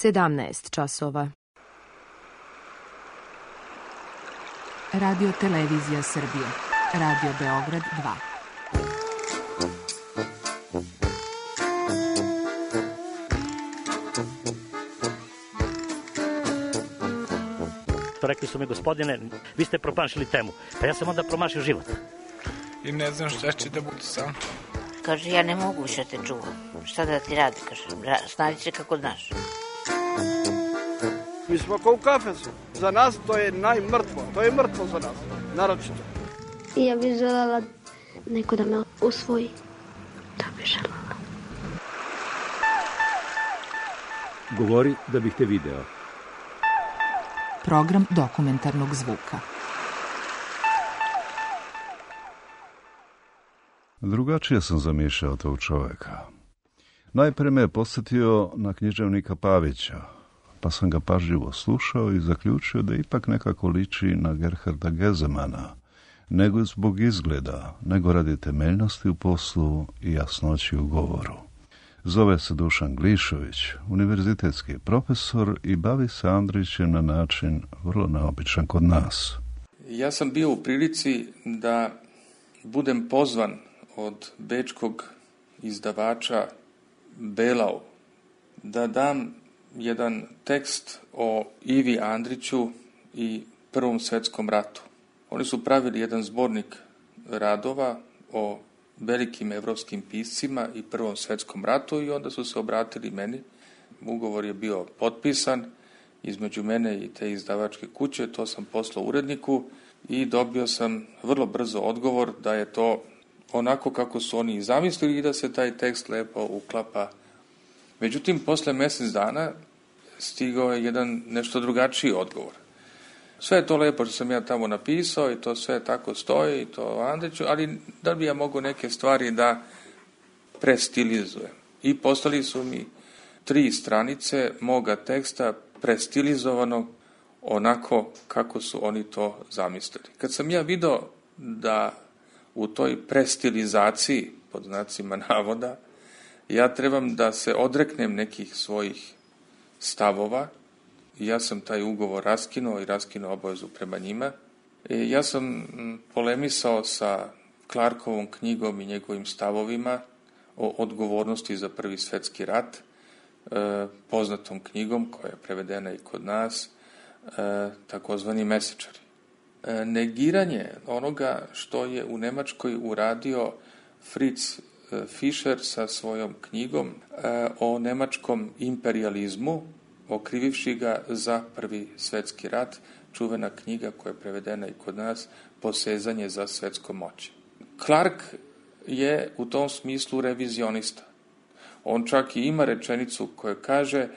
17 časova. Radio Televizija Srbije. Radio Beograd 2. Rekli su mi, gospodine, vi ste promašili temu. Pa ja sam onda promašio život. I ne znam šta će da bude sam. Kaže, ja ne mogu više te čuvam. Šta da ti radi, kaže, snađi se kako znaš. Mi smo kao u kafesu. Za nas to je najmrtvo. To je mrtvo za nas, naročito. I ja bih želela neko da me usvoji. To bih želela. Govori da bih te video. Program dokumentarnog zvuka. Drugačije sam zamišljao tog čoveka. Najprije me je posjetio na književnika Pavića, pa sam ga pažljivo slušao i zaključio da ipak nekako liči na Gerharda Gezemana, nego zbog izgleda, nego radi temeljnosti u poslu i jasnoći u govoru. Zove se Dušan Glišović, univerzitetski profesor i bavi se Andrićem na način vrlo neobičan kod nas. Ja sam bio u prilici da budem pozvan od bečkog izdavača Belau da dam jedan tekst o Ivi Andriću i Prvom svjetskom ratu. Oni su pravili jedan zbornik radova o velikim evropskim piscima i Prvom svjetskom ratu i onda su se obratili meni. Ugovor je bio potpisan između mene i te izdavačke kuće, to sam poslao uredniku i dobio sam vrlo brzo odgovor da je to onako kako su oni i zamislili i da se taj tekst lepo uklapa. Međutim, posle mjesec dana stigao je jedan nešto drugačiji odgovor. Sve je to lepo što sam ja tamo napisao i to sve tako stoji i to Andriću, ali da bi ja mogu neke stvari da prestilizujem. I poslali su mi 3 stranice moga teksta prestilizovano onako kako su oni to zamislili. Kad sam ja vidio da u toj prestilizaciji, pod znacima navoda, ja trebam da se odreknem nekih svojih stavova, ja sam taj ugovor raskinuo i raskinuo obavezu prema njima. Ja sam polemisao sa Clarkovom knjigom i njegovim stavovima o odgovornosti za Prvi svjetski rat, poznatom knjigom koja je prevedena i kod nas, takozvani mesečari. Negiranje onoga što je u Nemačkoj uradio Fritz Fischer sa svojom knjigom o nemačkom imperializmu, okrivivši ga za Prvi svjetski rat, čuvena knjiga koja je prevedena i kod nas, Posezanje za svjetskom moći. Clark je u tom smislu revizionista. On čak i ima rečenicu koja kaže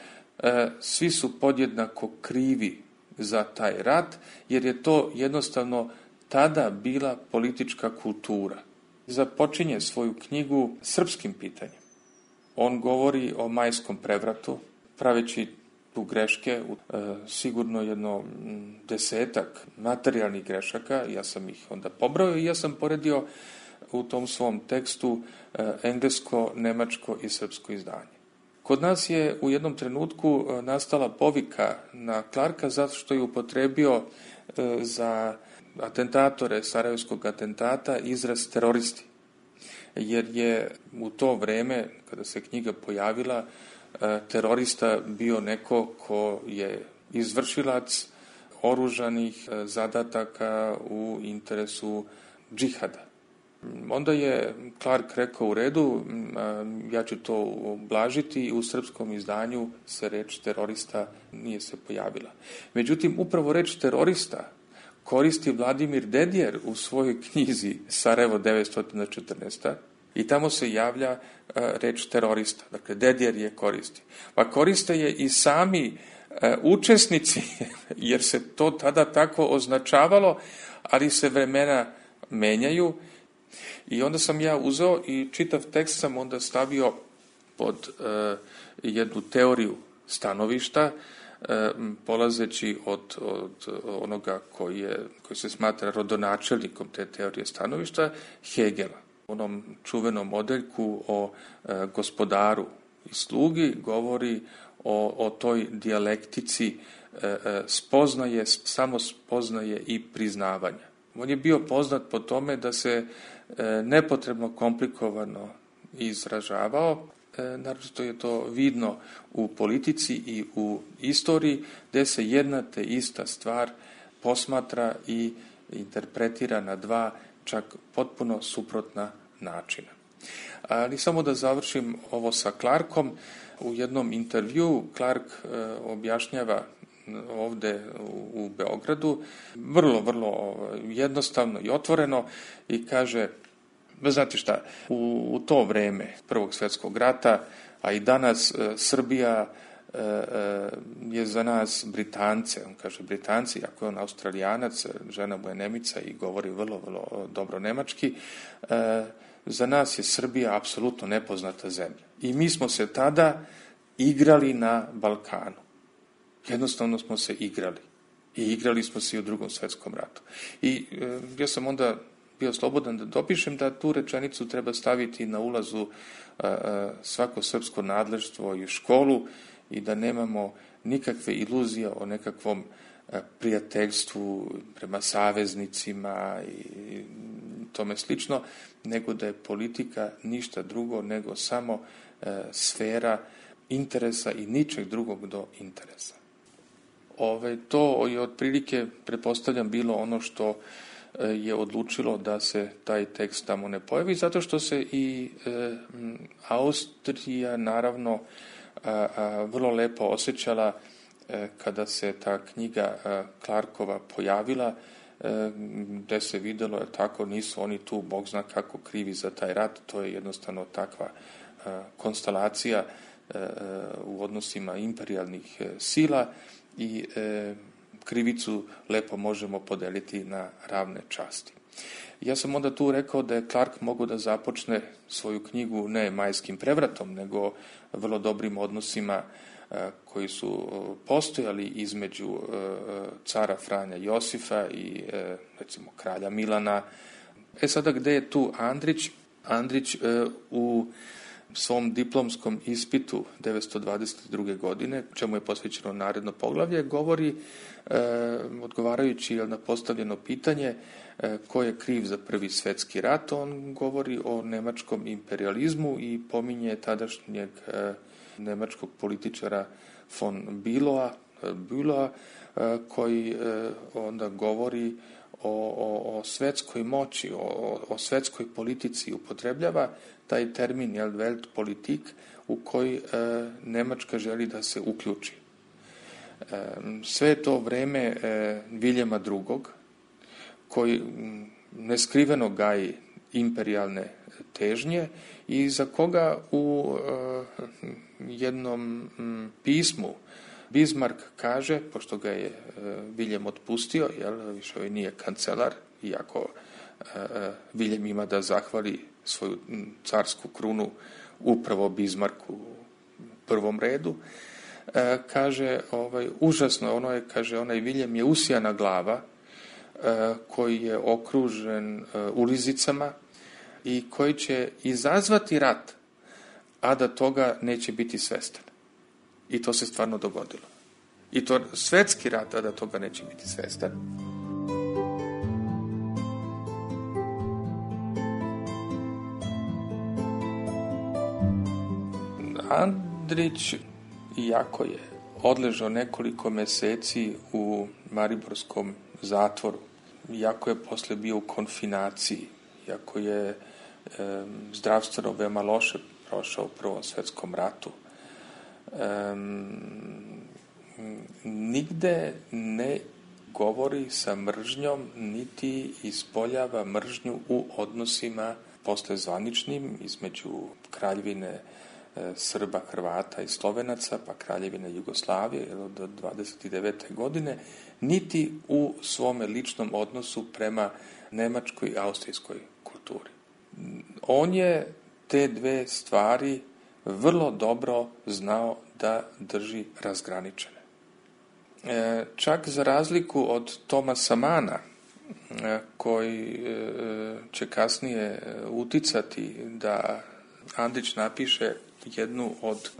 svi su podjednako krivi za taj rat, jer je to jednostavno tada bila politička kultura. Započinje svoju knjigu srpskim pitanjem. On govori o majskom prevratu, praveći tu greške, sigurno jedno 10-ak materijalnih grešaka, ja sam ih onda pobrojao i ja sam poredio u tom svom tekstu englesko, nemačko i srpsko izdanje. Kod nas je u jednom trenutku nastala povika na Clarka zato što je upotrebio za atentatore sarajevskog atentata izraz teroristi. Jer je u to vreme, kada se knjiga pojavila, terorista bio neko ko je izvršilac oružanih zadataka u interesu džihada. Onda je Clark rekao u redu, ja ću to ublažiti i u srpskom izdanju se reč terorista nije se pojavila. Međutim, upravo reč terorista koristi Vladimir Dedijer u svojoj knjizi Sarajevo 914. I tamo se javlja reč terorista. Dakle, Dedijer je koristi. Pa koriste je i sami učesnici, jer se to tada tako označavalo, ali se vremena menjaju. I onda sam ja uzeo i čitav tekst sam onda stavio pod jednu teoriju stanovišta, polazeći od onoga koji se smatra rodonačelnikom te teorije stanovišta, Hegela. U onom čuvenom odeljku o gospodaru i slugi govori o toj dijalektici spoznaje, samo spoznaje i priznavanja. On je bio poznat po tome da se nepotrebno komplikovano izražavao, naročito je to vidno u politici i u istoriji, gdje se jedna te ista stvar posmatra i interpretira na dva čak potpuno suprotna načina. Ali samo da završim ovo sa Clarkom. U jednom intervju Clark objašnjava ovdje u Beogradu vrlo jednostavno i otvoreno i kaže, znate šta, u to vrijeme Prvog svjetskog rata, a i danas Srbija je za nas Britance, on kaže Britanci, ako je on Australijanac, žena mu je Nemica i govori vrlo dobro nemački, za nas je Srbija apsolutno nepoznata zemlja. I mi smo se tada igrali na Balkanu. Jednostavno smo se igrali. I igrali smo se i u Drugom svjetskom ratu. I ja sam onda bio slobodan da dopišem da tu rečenicu treba staviti na ulazu svako srpsko nadleštvo i školu i da nemamo nikakve iluzije o nekakvom prijateljstvu prema saveznicima i tome slično, nego da je politika ništa drugo nego samo sfera interesa i ničeg drugog do interesa. To je otprilike, pretpostavljam, bilo ono što je odlučilo da se taj tekst tamo ne pojavi, zato što se i Austrija naravno vrlo lepo osjećala kada se ta knjiga Clarkova pojavila, gdje se vidjelo, tako nisu oni tu bog zna kako krivi za taj rat, to je jednostavno takva konstelacija u odnosima imperijalnih sila i krivicu lepo možemo podeliti na ravne časti. Ja sam onda tu rekao da je Clark mogao da započne svoju knjigu ne majskim prevratom, nego vrlo dobrim odnosima koji su postojali između cara Franja Josifa i recimo kralja Milana. Sada gde je tu Andrić? Andrić u svom diplomskom ispitu 1922. godine, čemu je posvećeno naredno poglavlje, govori, odgovarajući na postavljeno pitanje ko je kriv za Prvi svjetski rat, on govori o nemačkom imperializmu i pominje tadašnjeg nemačkog političara von Bülowa, koji onda govori o svetskoj moći, o svetskoj politici, upotrebljava taj termin Weltpolitik u koji Nemačka želi da se uključi. Sve to vreme Viljema II, koji neskriveno gaji imperijalne težnje i za koga u jednom pismu Bismarck kaže, pošto ga je Viljem otpustio, više nije kancelar, iako Viljem ima da zahvali svoju carsku krunu upravo Bismarcku u prvom redu, kaže, užasno, onaj Viljem je usijana glava koji je okružen ulizicama i koji će izazvati rat, a da toga neće biti svestan. I to se stvarno dogodilo. I to svetski rat, a da toga neće biti svestan. Andrić, iako je odležao nekoliko meseci u mariborskom zatvoru, iako je posle bio u konfinaciji, iako je zdravstveno veoma loše prošao u Prvom svjetskom ratu, nigde ne govori sa mržnjom, niti ispoljava mržnju u odnosima posle zvaničnim između Kraljevine Srba, Hrvata i Slovenaca, pa Kraljevine Jugoslavije do 29. godine, niti u svome ličnom odnosu prema nemačkoj i austrijskoj kulturi. On je te dve stvari vrlo dobro znao da drži razgraničene. Čak za razliku od Thomasa Mana, koji će kasnije uticati da Andrić napiše jednu od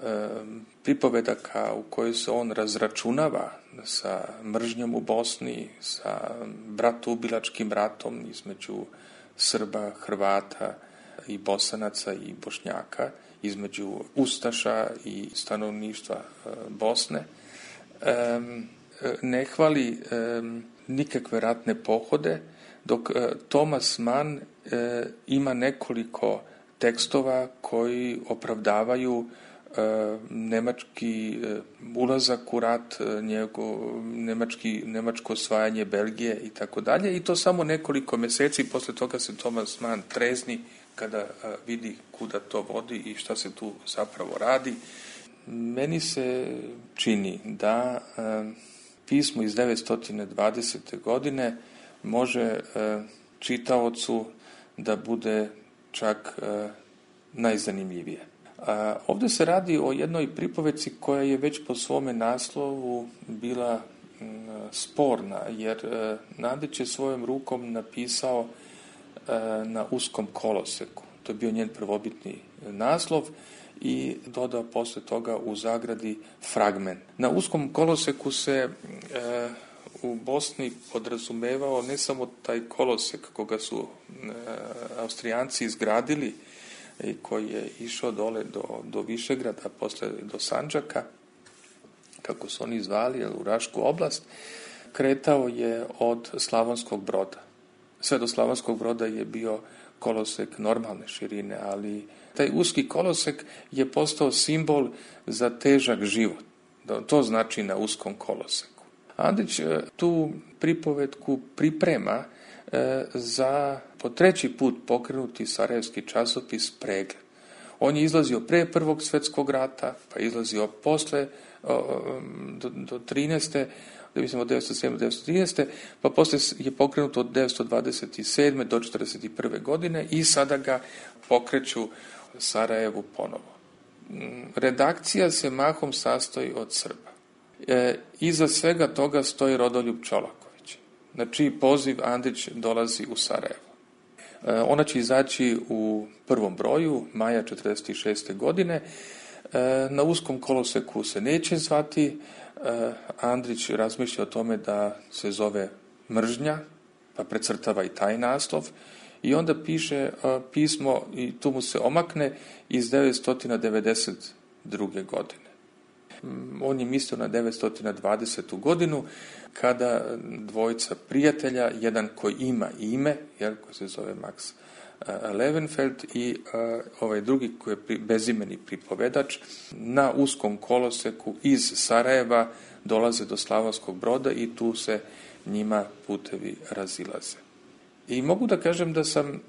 pripovedaka u kojoj se on razračunava sa mržnjom u Bosni, sa bratoubilačkim ratom između Srba, Hrvata i Bosanaca i Bošnjaka, između ustaša i stanovništva Bosne. Ne hvali nikakve ratne pohode, dok Thomas Mann ima nekoliko tekstova koji opravdavaju nemački ulazak u rat, nemačko osvajanje Belgije i tako dalje. I to samo nekoliko mjeseci, posle toga se Thomas Mann trezni kada vidi kuda to vodi i šta se tu zapravo radi. Meni se čini da pismo iz 920. godine može čitaocu da bude čak najzanimljivije. Ovdje se radi o jednoj pripovedci koja je već po svome naslovu bila sporna, jer Nadić je svojom rukom napisao na uskom koloseku. To je bio njen prvobitni naslov i dodao posle toga u zagradi fragment. Na uskom koloseku se u Bosni podrazumevao ne samo taj kolosek koga su Austrijanci izgradili i koji je išao dole do Višegrada, posle do Sandžaka, kako su oni zvali, u Rašku oblast, kretao je od Slavonskog Broda. Sve do Slavonskog Broda je bio kolosek normalne širine, ali taj uski kolosek je postao simbol za težak život. To znači na uskom koloseku. Andrić tu pripovetku priprema za po treći put pokrenuti sarajevski časopis Pregled. On je izlazio pre Prvog svjetskog rata, pa izlazio posle do 13. Mislim od 1907. do 1913. pa posle je pokrenut od 1927. do 1941. godine i sada ga pokreću Sarajevu ponovo. Redakcija se mahom sastoji od Srba. Iza svega toga stoji Rodoljub Čolaković, na čiji poziv Andrić dolazi u Sarajevo. Ona će izaći u prvom broju, maja 1946. godine. Na uskom koloseku se neće zvati. Andrić razmišlja o tome da se zove Mržnja, pa precrtava i taj naslov. I onda piše pismo, i tu mu se omakne, iz 1992. godine. On je mislio na 920. godinu, kada dvojica prijatelja, jedan koji ima ime, koji se zove Max Levenfeld, i ovaj drugi koji je bezimeni pripovedač, na uskom koloseku iz Sarajeva dolaze do Slavonskog Broda i tu se njima putevi razilaze. I mogu da kažem da sam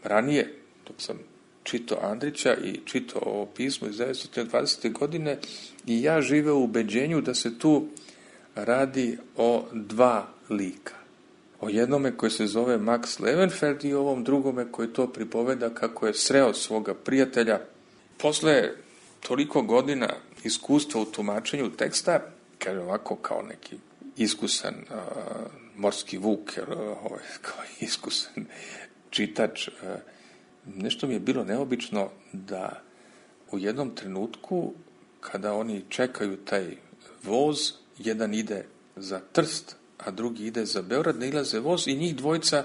ranije, dok sam čitao Andrića i čitao ovo pismo iz 1920. godine, i ja živeo u ubeđenju da se tu radi o dva lika. O jednome koji se zove Max Levenfeld i ovom drugome koji to pripoveda kako je sreo svoga prijatelja. Posle toliko godina iskustva u tumačenju teksta, kaže ovako kao neki iskusan morski vuk, kao iskusan čitač, nešto mi je bilo neobično da u jednom trenutku, kada oni čekaju taj voz, jedan ide za Trst, a drugi ide za Beograd, nailaze voz i njih dvojica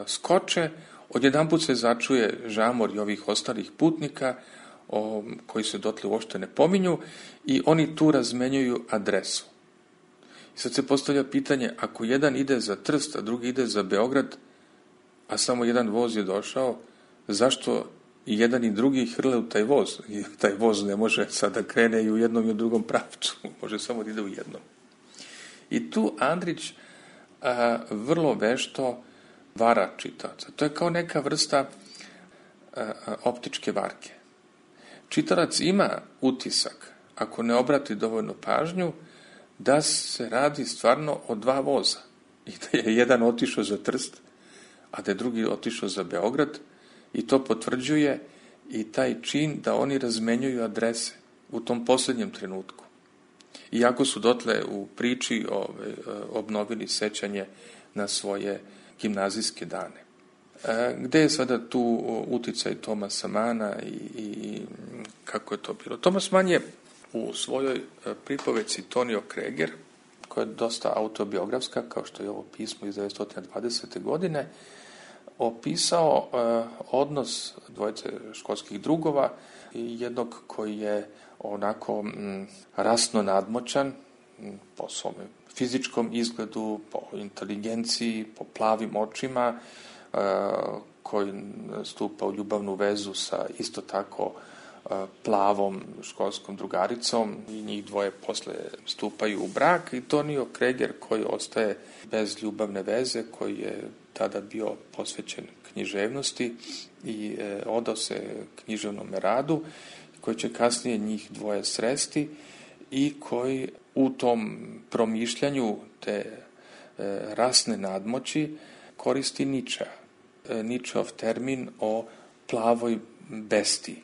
skoče, odjedanput se začuje žamor i ovih ostalih putnika, koji se dotle uopšte ne pominju, i oni tu razmenjuju adresu. I sad se postavlja pitanje, ako jedan ide za Trst, a drugi ide za Beograd, a samo jedan voz je došao, zašto i jedan i drugi hrle u taj voz? I taj voz ne može sada krene i u jednom i u drugom pravcu, može samo da ide u jednom. I tu Andrić vrlo vešto vara čitaoca. To je kao neka vrsta optičke varke. Čitalac ima utisak, ako ne obrati dovoljno pažnju, da se radi stvarno o dva voza. I da je jedan otišao za Trst, a da je drugi otišao za Beograd, i to potvrđuje i taj čin da oni razmenjuju adrese u tom posljednjem trenutku. Iako su dotle u priči obnovili sećanje na svoje gimnazijske dane. Gde je sada tu uticaj Thomasa Manna i kako je to bilo? Thomas Mann je u svojoj pripovedci Tonio Kreger, koja je dosta autobiografska, kao što je ovo pismo iz 1920. godine, opisao odnos dvojice školskih drugova i jednog koji je onako rasno nadmoćan po svom fizičkom izgledu, po inteligenciji, po plavim očima, koji stupa u ljubavnu vezu sa isto tako plavom školskom drugaricom i njih dvoje posle stupaju u brak, i Tonio Kreger koji ostaje bez ljubavne veze, koji je tada bio posvećen književnosti i odao se književnom radu, koji će kasnije njih dvoje sresti i koji u tom promišljanju te rasne nadmoći koristi Nietzscheov termin o plavoj bestiji.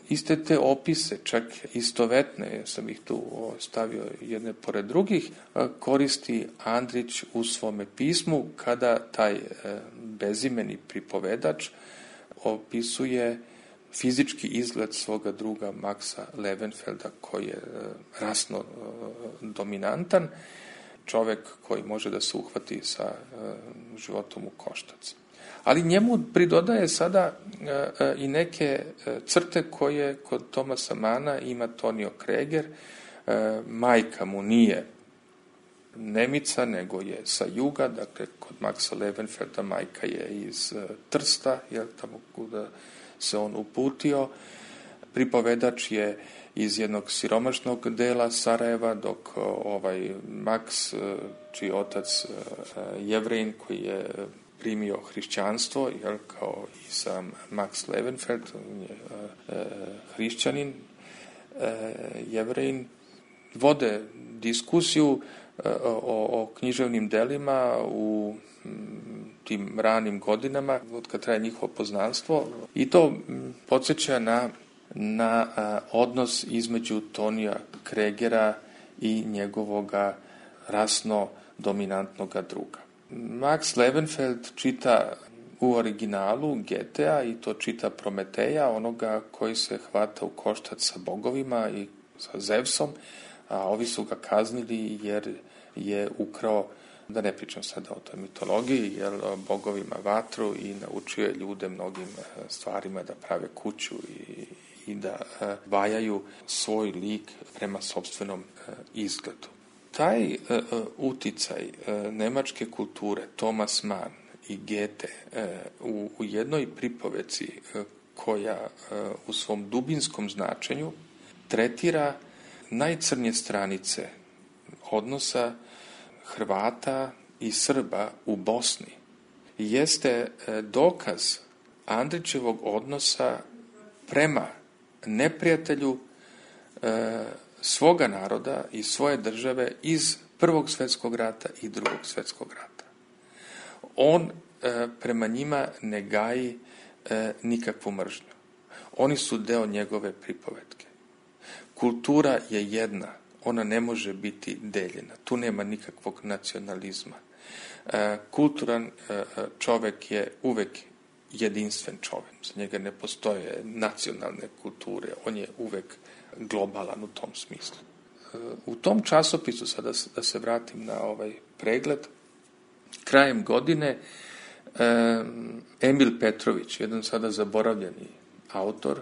Iste te opise, čak istovetne, sam ih tu stavio jedne pored drugih, koristi Andrić u svome pismu kada taj bezimeni pripovedač opisuje fizički izgled svoga druga Maxa Levenfelda, koji je rasno dominantan, čovek koji može da se uhvati sa životom u koštac. Ali njemu pridodaje sada i neke crte koje kod Thomasa Manna ima Tonio Kreger. Majka mu nije Nemica, nego je sa juga, dakle kod Maxa Levenfelda majka je iz Trsta, tamo kuda se on uputio. Pripovedač je iz jednog siromašnog dela Sarajeva, dok Max, čiji otac Jevrejin, koji je primio hrišćanstvo, kao i sam Max Levenfeld, on je hrišćanin, Jevrejin, vode diskusiju o književnim delima u tim ranim godinama, od kad traje njihovo poznanstvo, i to podsjeća na odnos između Tonija Kregera i njegovoga rasno dominantnoga druga. Max Levenfeld čita u originalu Goethea, i to čita Prometeja, onoga koji se hvata u koštac sa bogovima i sa Zevsom, a ovi su ga kaznili jer je ukrao, da ne pričam sada o toj mitologiji, jer bogovima vatru i naučio je ljude mnogim stvarima, da prave kuću i da vajaju svoj lik prema sopstvenom izgledu. Taj uticaj nemačke kulture, Thomas Mann i Goethe, u jednoj pripoveci koja u svom dubinskom značenju tretira najcrnje stranice odnosa Hrvata i Srba u Bosni, jeste dokaz Andrićevog odnosa prema neprijatelju svoga naroda i svoje države iz Prvog svjetskog rata i Drugog svjetskog rata. On prema njima ne gaji nikakvu mržnju. Oni su deo njegove pripovetke. Kultura je jedna, ona ne može biti deljena. Tu nema nikakvog nacionalizma. Kulturan čovek je uvek jedinstven čovek. Za njega ne postoje nacionalne kulture. On je uvek globalan u tom smislu. U tom časopisu, sada da se vratim na ovaj pregled, krajem godine Emil Petrović, jedan sada zaboravljeni autor,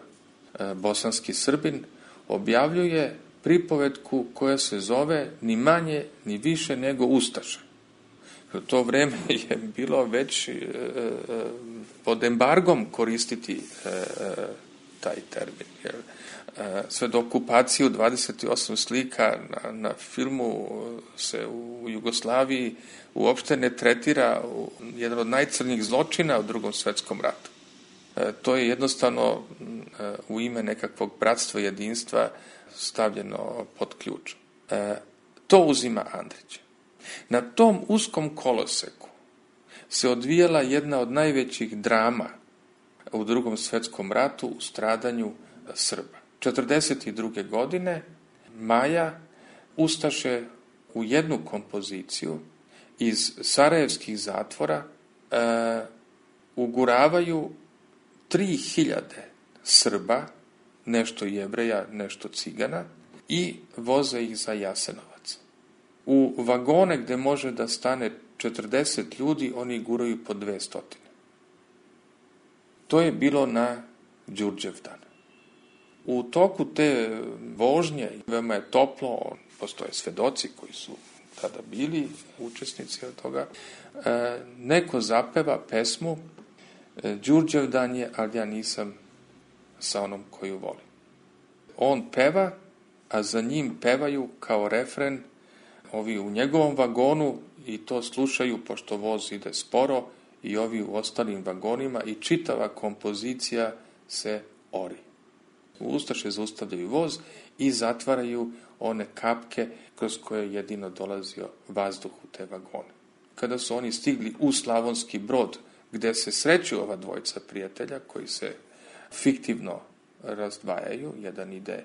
bosanski Srbin, objavljuje pripovetku koja se zove ni manje ni više nego Ustaša. U to vreme je bilo već pod embargom koristiti taj termin, jer sve do okupacije u 28 slika na filmu se u Jugoslaviji uopšte ne tretira jedan od najcrnjih zločina u Drugom svjetskom ratu. To je jednostavno u ime nekakvog bratstva i jedinstva stavljeno pod ključ. To uzima Andrić. Na tom uskom koloseku se odvijala jedna od najvećih drama u Drugom svjetskom ratu u stradanju Srba. 1942. godine Maja ustaše u jednu kompoziciju iz sarajevskih zatvora uguravaju 3000 Srba, nešto Jevreja, nešto Cigana, i voze ih za Jasenovac. U vagone gde može da stane 40 ljudi, oni guraju po 200. To je bilo na Đurđevdan. U toku te vožnje, veoma je toplo, postoje svedoci koji su tada bili učesnici od toga, neko zapeva pesmu Đurđevdan je, ali ja nisam sa onom koju volim. On peva, a za njim pevaju kao refren ovi u njegovom vagonu i to slušaju pošto voz ide sporo i ovi u ostalim vagonima i čitava kompozicija se ori. Ustaše zaustavljaju voz i zatvaraju one kapke kroz koje jedino dolazio vazduh u te vagone. Kada su oni stigli u Slavonski Brod, gde se sreću ova dvojica prijatelja koji se fiktivno razdvajaju, jedan ide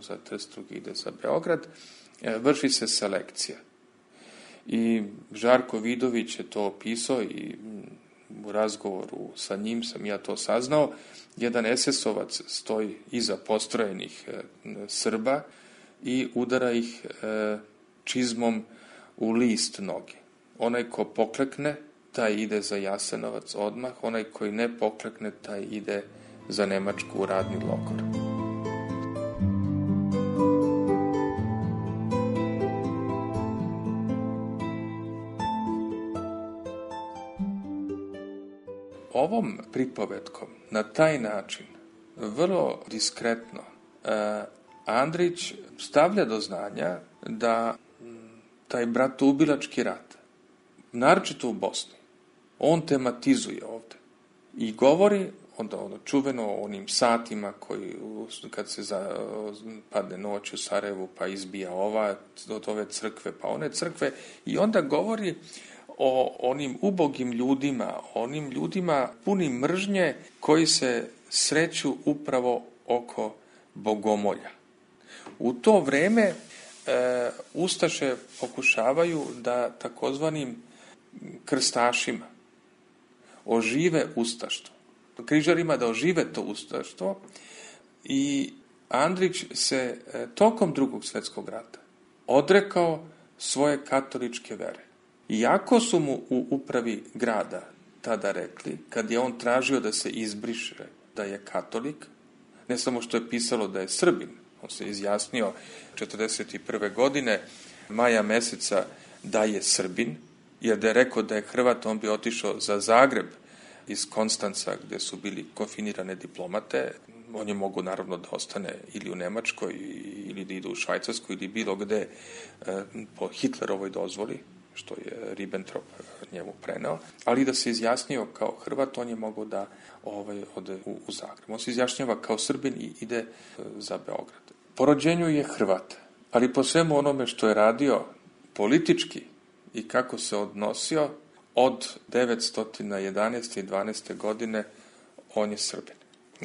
za Trst, drugi ide za Beograd, vrši se selekcija. I Žarko Vidović je to opisao i u razgovoru sa njim sam ja to saznao. Jedan SS-ovac stoji iza postrojenih Srba i udara ih čizmom u list noge. Onaj ko poklekne, taj ide za Jasenovac odmah, onaj koji ne poklekne, taj ide za Nemačku u radni logor. Ovom pripovetkom, na taj način, vrlo diskretno, Andrić stavlja do znanja da taj bratoubilački rat, naročito u Bosni, on tematizuje ovde i govori onda čuveno o onim satima koji kad se padne noć u Sarajevu pa izbija od ove crkve pa one crkve i onda govori o onim ubogim ljudima, onim ljudima punim mržnje koji se sreću upravo oko bogomolja. U to vreme ustaše pokušavaju da takozvanim krstašima ožive ustaštvo. Križarima da ožive to ustaštvo i Andrić se tokom Drugog svjetskog rata odrekao svoje katoličke vere. Iako su mu u upravi grada tada rekli, kad je on tražio da se izbriše da je katolik, ne samo što je pisalo da je Srbin, on se izjasnio 1941. godine, maja meseca, da je Srbin, jer da je rekao da je Hrvat, on bi otišao za Zagreb iz Konstanca, gde su bili konfinirane diplomate. On je mogu naravno da ostane ili u Nemačkoj, ili da ide u Švajcarsku, ili bilo gde po Hitlerovoj dozvoli, što je Ribbentrop njemu preneo, ali da se izjasnio kao Hrvat, on je mogao da ode u Zagreb. On se izjašnjava kao Srbin i ide za Beograd. Po rođenju je Hrvat, ali po svemu onome što je radio politički i kako se odnosio, od 911. i 12. godine on je Srbin.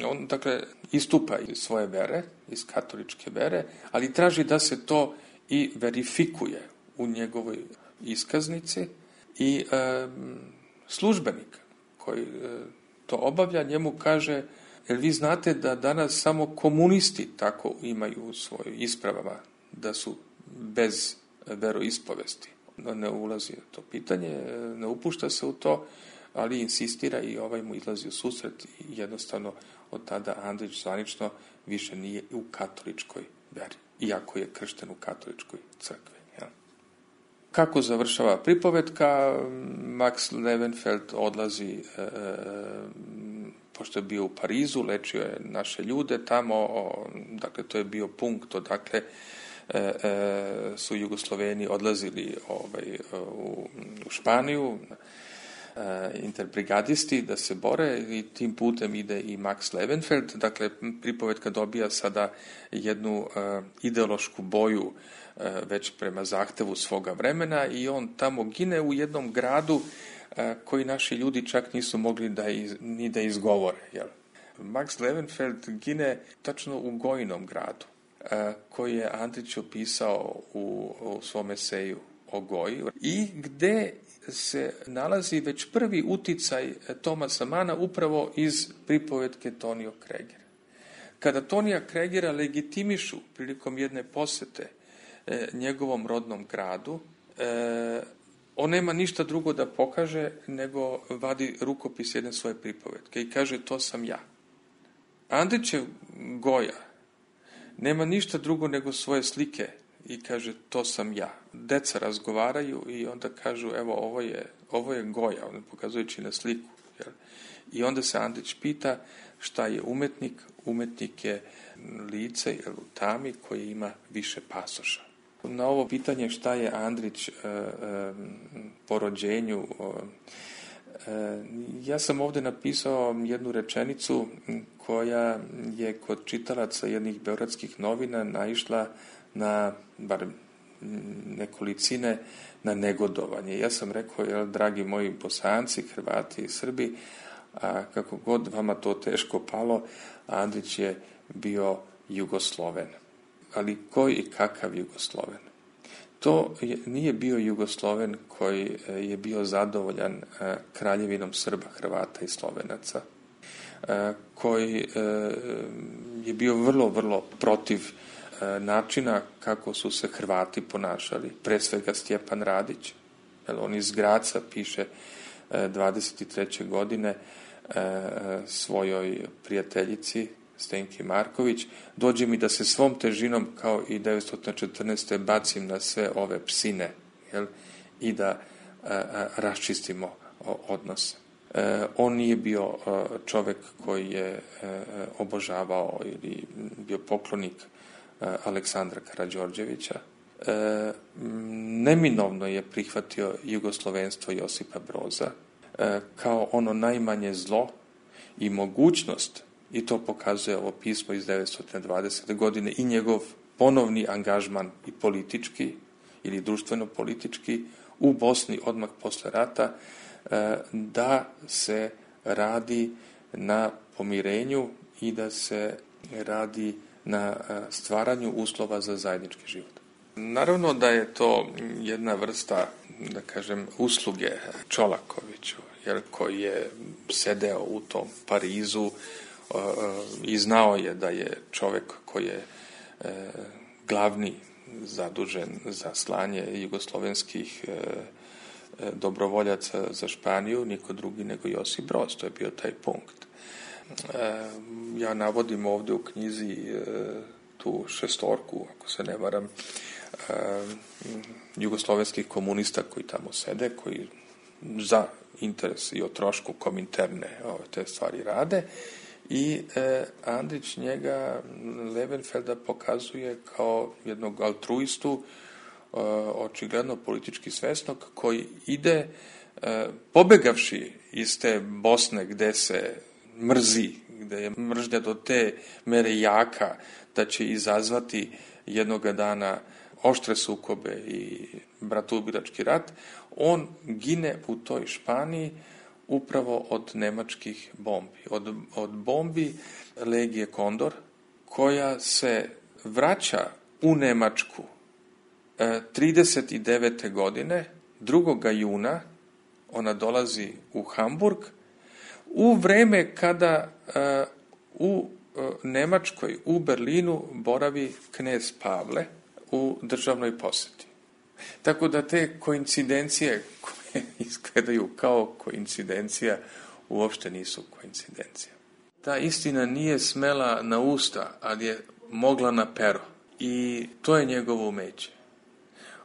On, dakle, istupa iz svoje vere, iz katoličke vere, ali traži da se to i verifikuje u njegovoj iskaznici i službenik koji to obavlja njemu kaže, jer vi znate da danas samo komunisti tako imaju u svojoj ispravama, da su bez veroispovesti. Ne ulazi u to pitanje, ne upušta se u to, ali insistira i ovaj mu izlazi u susret i jednostavno od tada Andrić zvanično više nije u katoličkoj veri, iako je kršten u katoličkoj crkvi. Ja. Kako završava pripovetka? Max Levenfeld odlazi, pošto je bio u Parizu, lečio je naše ljude tamo, dakle to je bio punkt odakle su Jugosloveni odlazili u Španiju, interbrigadisti da se bore i tim putem ide i Max Levenfeld. Dakle, pripovetka dobija sada jednu ideološku boju već prema zahtevu svoga vremena i on tamo gine u jednom gradu koji naši ljudi čak nisu mogli ni da izgovore. Jel? Max Levenfeld gine tačno u Gojinom gradu, koji je Andrić opisao u svom eseju o Goji i gde se nalazi već prvi uticaj Thomasa Mana upravo iz pripovetke Tonio Kregera. Kada Tonija Kregera legitimišu prilikom jedne posete njegovom rodnom gradu, on nema ništa drugo da pokaže nego vadi rukopis jedne svoje pripovetke i kaže to sam ja. Andrićev Goja nema ništa drugo nego svoje slike i kaže to sam ja. Deca razgovaraju i onda kažu evo ovo je Goja, on pokazujući na sliku. Jel? I onda se Andrić pita šta je umetnik. Umetnik je lice u tami koje ima više pasoša. Na ovo pitanje šta je Andrić po rođenju, ja sam ovdje napisao jednu rečenicu koja je kod čitalaca jednih beogradskih novina naišla na, bar nekolicine, na negodovanje. Ja sam rekao, dragi moji Bosanci, Hrvati i Srbi, a kako god vama to teško palo, Andrić je bio Jugosloven. Ali koji i kakav Jugosloven? To nije bio Jugosloven koji je bio zadovoljan kraljevinom Srba, Hrvata i Slovenaca, koji je bio vrlo, vrlo protiv načina kako su se Hrvati ponašali, pre svega Stjepan Radić. On iz Graca piše 23. godine svojoj prijateljici Stenki Marković, dođe mi da se svom težinom kao i 1914. bacim na sve ove psine, jel? I da raščistimo odnose. On nije bio čovjek koji je obožavao ili bio poklonik Aleksandra Karađorđevića. Neminovno je prihvatio jugoslovenstvo Josipa Broza kao ono najmanje zlo i mogućnost, i to pokazuje ovo pismo iz 1920. godine i njegov ponovni angažman i politički ili društveno-politički u Bosni odmah posle rata, da se radi na pomirenju i da se radi na stvaranju uslova za zajednički život. Naravno da je to jedna vrsta, da kažem, usluge Čolakoviću, jer koji je sedeo u tom Parizu i znao je da je čovjek koji je glavni zadužen za slanje jugoslovenskih dobrovoljaca za Španiju, niko drugi nego Josip Broz, to je bio taj punkt. Ja navodim ovdje u knjizi tu šestorku, ako se ne varam, jugoslovenskih komunista koji tamo sede, koji za interes i o trošku Kominterne te stvari rade, i Andrić njega Levenfelda pokazuje kao jednog altruistu, očigledno politički svesnog, koji ide pobegavši iz te Bosne gde se mrzi, gde je mržnja do te mere jaka da će izazvati jednoga dana oštre sukobe i bratoubilački rat, on gine u toj Španiji upravo od nemačkih bombi. Od bombi Legije Kondor, koja se vraća u Nemačku 39. godine, 2. juna, ona dolazi u Hamburg, u vreme kada u Nemačkoj, u Berlinu, boravi knez Pavle u državnoj posjeti. Tako da te koincidencije koje izgledaju kao koincidencija uopšte nisu koincidencija. Ta istina nije smela na usta, ali je mogla na pero. I to je njegovo umeće.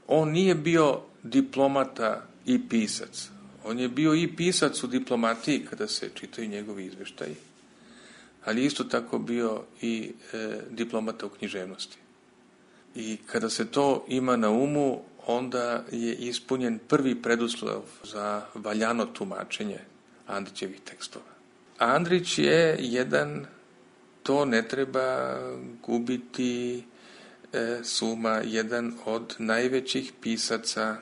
On nije bio diplomata i pisac. On je bio i pisac u diplomatiji kada se čitaju njegovi izveštaji, ali isto tako bio i diplomata u književnosti. I kada se to ima na umu, onda je ispunjen prvi preduslov za valjano tumačenje Andrićevih tekstova. Andrić je jedan, to ne treba gubiti suma, jedan od najvećih pisaca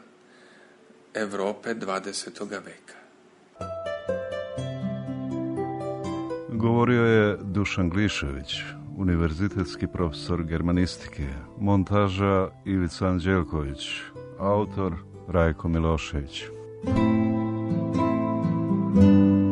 Evrope 20. veka. Govorio je Dušan Glišević, univerzitetski profesor germanistike, montaža Ivica Anđelković, autor Rajko Milošević. Thank you.